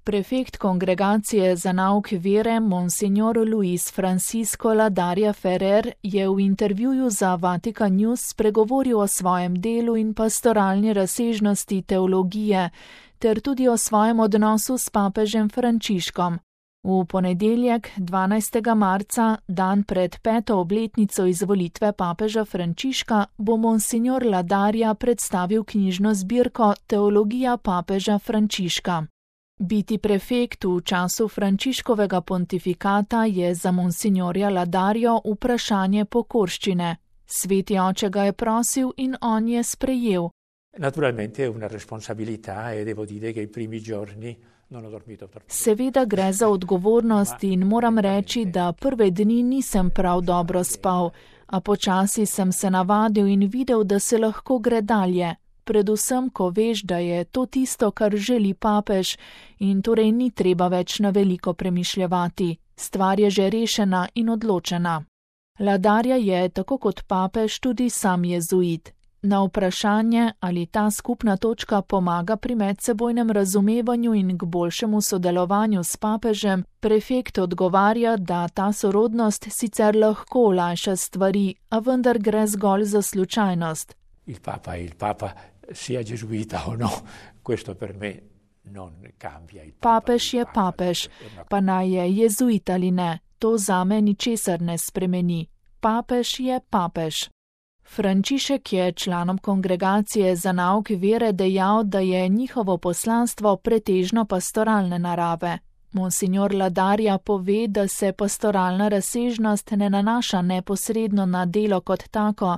Prefekt Kongregacije za nauk vere Monsignor Luis Francisco Ladaria Ferrer je v intervjuju za Vatican News spregovoril o svojem delu in pastoralni razsežnosti teologije, ter tudi o svojem odnosu s papežem Frančiškom. V ponedeljek, 12. marca, dan pred 5. obletnico izvolitve papeža Frančiška, bo Monsignor Ladaria predstavil knjižno zbirko Teologija papeža Frančiška. Biti prefekt v času Frančiškovega pontifikata je za Monsignorja Ladario vprašanje pokorščine. Sveti oče ga je prosil in on je sprejel. Naturalmente è una responsabilità e devo dire che i primi giorni non ho dormito per... Seveda gre za odgovornost in moram reči, da prve dni nisem prav dobro spal, a počasi sem se navadil in videl, da se lahko gre dalje. Predvsem, ko veš, da je to tisto, kar želi papež in torej ni treba več na veliko premišljevati. Stvar je že rešena in odločena. Ladaria je, tako kot papež, tudi sam jezuit. Na vprašanje, ali ta skupna točka pomaga pri medsebojnem razumevanju in k boljšemu sodelovanju s papežem, prefekt odgovarja, da ta sorodnost sicer lahko olajša stvari, a vendar gre zgolj za slučajnost. Il Papa sia gesuita o no, questo per me non cambia. Papež je papež, pa naj je jezuit ali ne, to zame ničesar ne spremeni. Papež je papež. Frančišek je članom Kongregacije za nauk vere dejal, da je njihovo poslanstvo pretežno pastoralne narave. Monsignor Ladaria pove, da se pastoralna razsežnost ne nanaša neposredno na delo kot tako,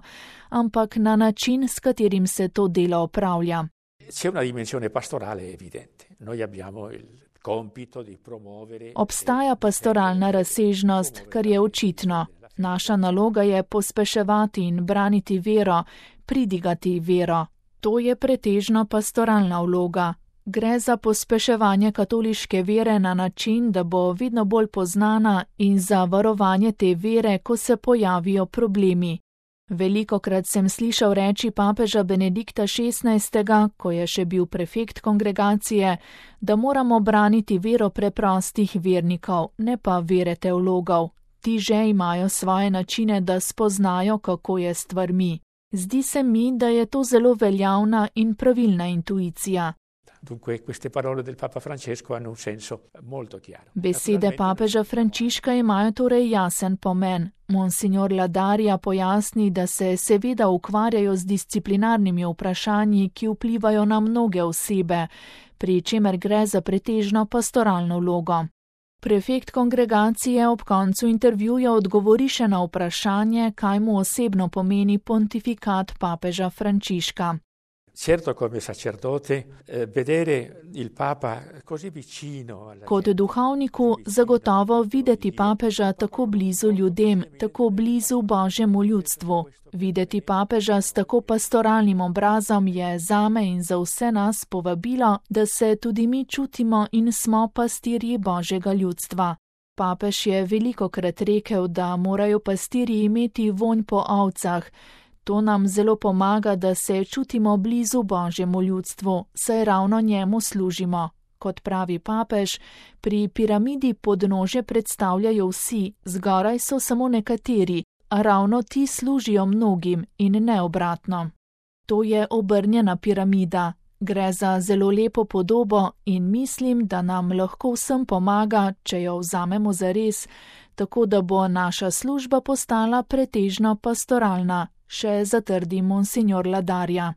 ampak na način, s katerim se to delo opravlja. C'è una dimensione pastorale evidente. Noi abbiamo il compito di promuovere... Obstaja pastoralna razsežnost, kar je očitno. Naša naloga je pospeševati in braniti vero, pridigati vero. To je pretežno pastoralna vloga. Gre za pospeševanje katoliške vere na način, da bo vedno bolj poznana in za varovanje te vere, ko se pojavijo problemi. Velikokrat sem slišal reči papeža Benedikta XVI., ko je še bil prefekt kongregacije, da moramo braniti vero preprostih vernikov, ne pa vere teologov. Ti že imajo svoje načine, da spoznajo, kako je stvarmi. Zdi se mi, da je to zelo veljavna in pravilna intuicija. Dunque, queste parole del Papa Francesco hanno un senso molto chiaro. Besede papeža Frančiška imajo torej jasen pomen. Monsignor Ladaria pojasni, da se seveda ukvarjajo z disciplinarnimi vprašanji, ki vplivajo na mnoge osebe, pri čemer gre za pretežno pastoralno vlogo. Prefekt kongregacije ob koncu intervjuja odgovori še na vprašanje, kaj mu osebno pomeni pontifikat papeža Frančiška. Certo, come sacerdote, vedere il Papa così vicino alla... Kot duhovniku zagotovo videti papeža tako blizu ljudem, tako blizu Božjemu ljudstvu. Videti papeža s tako pastoralnim obrazom je zame in za vse nas povabilo, da se tudi mi čutimo in smo pastirji Božjega ljudstva. Papež je velikokrat rekel, da morajo pastirji imeti vonj po ovcah. To nam zelo pomaga, da se čutimo blizu Božjemu ljudstvu, saj ravno njemu služimo. Kot pravi papež, pri piramidi podnožje predstavljajo vsi, zgoraj so samo nekateri, a ravno ti služijo mnogim in ne obratno. To je obrnjena piramida. Gre za zelo lepo podobo in mislim, da nam lahko vsem pomaga, če jo vzamemo zares, tako da bo naša služba postala pretežno pastoralna, še zatrdi Monsignor Ladaria.